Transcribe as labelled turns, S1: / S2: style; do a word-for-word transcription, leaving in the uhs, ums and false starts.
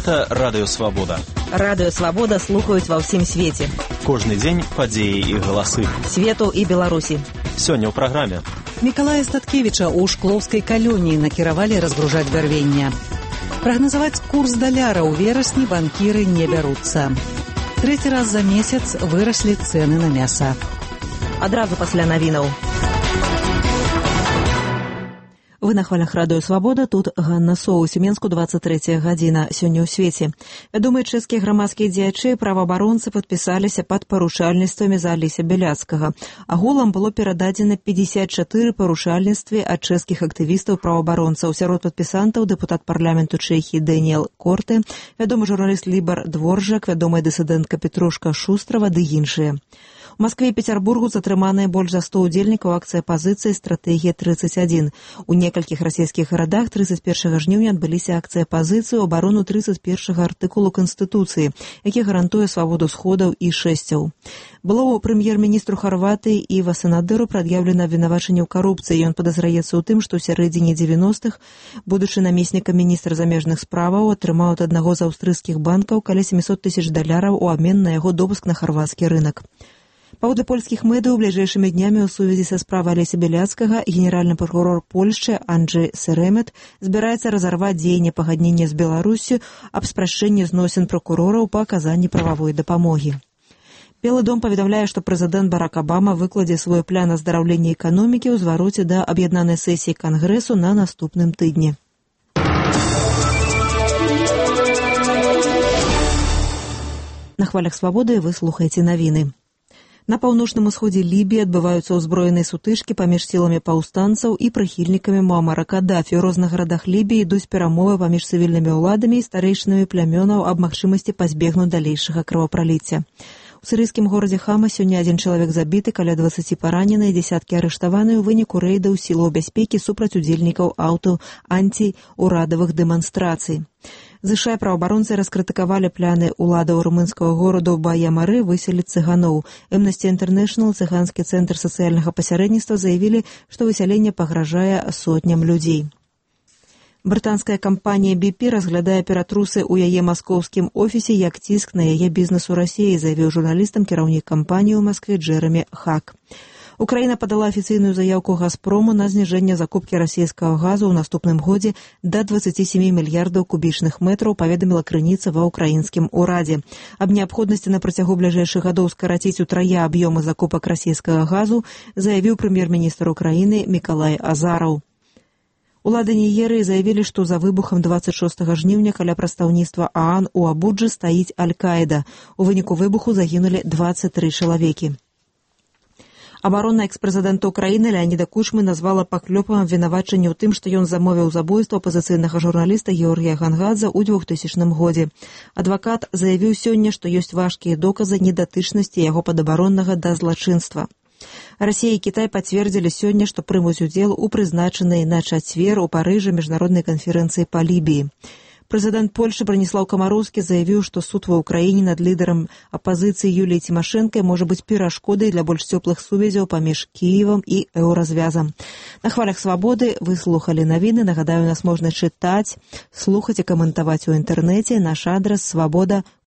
S1: Гэта Радыё Свабода.
S2: Радыё Свабода слухаюць ва ўсім свеце.
S1: Кожны дзень падзеі і галасы.
S2: Свету і Беларусі.
S1: Сёння ў праграме.
S3: Мікалая Статкевіча ў шклоўскай калоніі накіравалі разгружаць бярвення. Прагназаваць курс даляра ў верасні банкіры не бяруцца. Трэці раз за месяц выраслі цэны на мяса.
S2: Адразу пасля навінаў. Вы на хвалях Радыё Свабода, тут Ганна Соус, у Менску двадцать третья гадзіна, сёння ў свеце. Вядомыя чэшскія грамадскія дзеячы, праваабаронцы падпісаліся пад парушальніцтвамі за Алеся Бяляцкага. Агулам было перададзена пятьдесят четыре парушальніцтвы ад чэшскіх актывістаў праваабаронцаў. Сярод падпісантаў дэпутат парламенту Чэхіі Дэніэл Корте, вядомы журналіст Лібар Дворжак, вядомая дысідэнтка Петрушка Шустрава ды іншыя. У Маскве і Пецярбургу затрыманыя больш за сто удзельнікаў акцыі апазіцыі «Стратэгія тридцать один». У некалькіх расійскіх гарадах тридцать первого жніўня адбыліся акцыі апазіцыі ў абарону тридцать первого артыкулу Канстытуцыі, які гарантуе свабоду сходаў і шэсцяў. Было ў прэм'ер-міністру Харватыі Іва Санадыру прад'яўлена абвінавачанне ў карупцыі. Ён падазраецца ў тым, што ў сярэдзіне дзевяностых, будучы намеснікам міністра замежных справаў, атрымаў ад аднаго з аўстрыйскіх банкаў каля семьсот тысяч даляраў у абмен на яго допуск на харвацкі рынак. Паводле польскіх медыяў, бліжэйшымі днямі ў сувязі са справай Алеся Бяляцкага генеральны пракурор Польшчы Анджэй Серэмет збіраецца разарваць дзеянне пагаднення з Беларуссю аб спрашчэнні зносін пракурораў па аказанні прававой дапамогі. Белы дом паведамляе, што прэзідэнт Барак Абама выкладзе свой план аздараўлення эканомікі ў звароце да аб'яднанай сесіі Кангрэсу на наступным тыдні. На хвалях Свабоды вы слухаеце навіны. На паўночным усходзе Лібіі адбываюцца ўзброеныя сутычкі паміж сіламі паўстанцаў і прыхільнікамі Муамара Каддафі. У розных гарадах Лібіі ідуць перамовы паміж цывільнымі ўладамі і старэйшынамі плямёнаў аб магчымасці пазбегнуць далейшага крывапраліцця. У сірыйскім горадзе Хама сёння адзін чалавек забіты, каля дваццаці паранены і дзесяткі арыштаваны ў выніку рэйдаў сілаў бяспекі супраць удзельнікаў аўто антиурадавых дэманстрацый. ЗША праваабаронцы раскрытыкавалі пляны ўладаў румынскага гораду Бая-Мары выселіць цыганоў. Amnesty International, цыганскі цэнтр сацыяльнага пасярэдніцтва, заявілі, што высяленне пагражае сотням людзей. Брытанская кампанія би пі разглядае ператрусы ў яе маскоўскім офісе як ціск на яе бізнес у Расіі, заявіў журналістам кіраўнік кампаніі ў Маскве Джэрамі Хак. Украіна падала афіцыйную заяўку «Газпрому» на зніжэнне закупкі расійскага газу ў наступным годзе да дваццаці сямі мільярдаў кубічных метраў, паведаміла крыніца ва ўкраінскім урадзе. Аб неабходнасці на працягу бліжэйшых гадоў скараціць утрая аб'ёмы закупак расійскага газу заявіў прэм'ер-міністр Украіны Мікалай Азараў. Улады Нігерыі заявілі, што за выбухам дваццаць шостага жніўня каля прадстаўніцтва ААН у Абуджы стаіць Аль-Каіда. У выніку выбуху загінулі дваццаць тры чалавекі. Абаронна экс-прэзідэнта Украіны Леаніда Кучмы назвала паклёпам абвінавачанне ў тым, што ён замовіў забойства апазіцыйнага журналіста Георгія Гангадзе ў двухтысячным годзе. Адвакат заявіў сёння, што ёсць важкія доказы недатычнасці яго падабароннага да злачынства. Расія і Кітай пацвердзілі сёння, што прымуць удзел у прызначанай на чацвер у Парыжы міжнароднай канферэнцыі па Лібіі. Прэзідэнт Польшчы Браніслаў Камароўскі заявіў, што суд ва ўкраіне над лідарам апазіцыі Юліяй Цімашэнкай можа быць перашкодай для больш цёплых сувязяў паміж Кіевам і еўразвязам. На хвалях Свабоды вы слухалі навіны. Нагадаю, нас можна чытаць, слухаць і каментаваць у інтэрнэце. Наш адрас свабода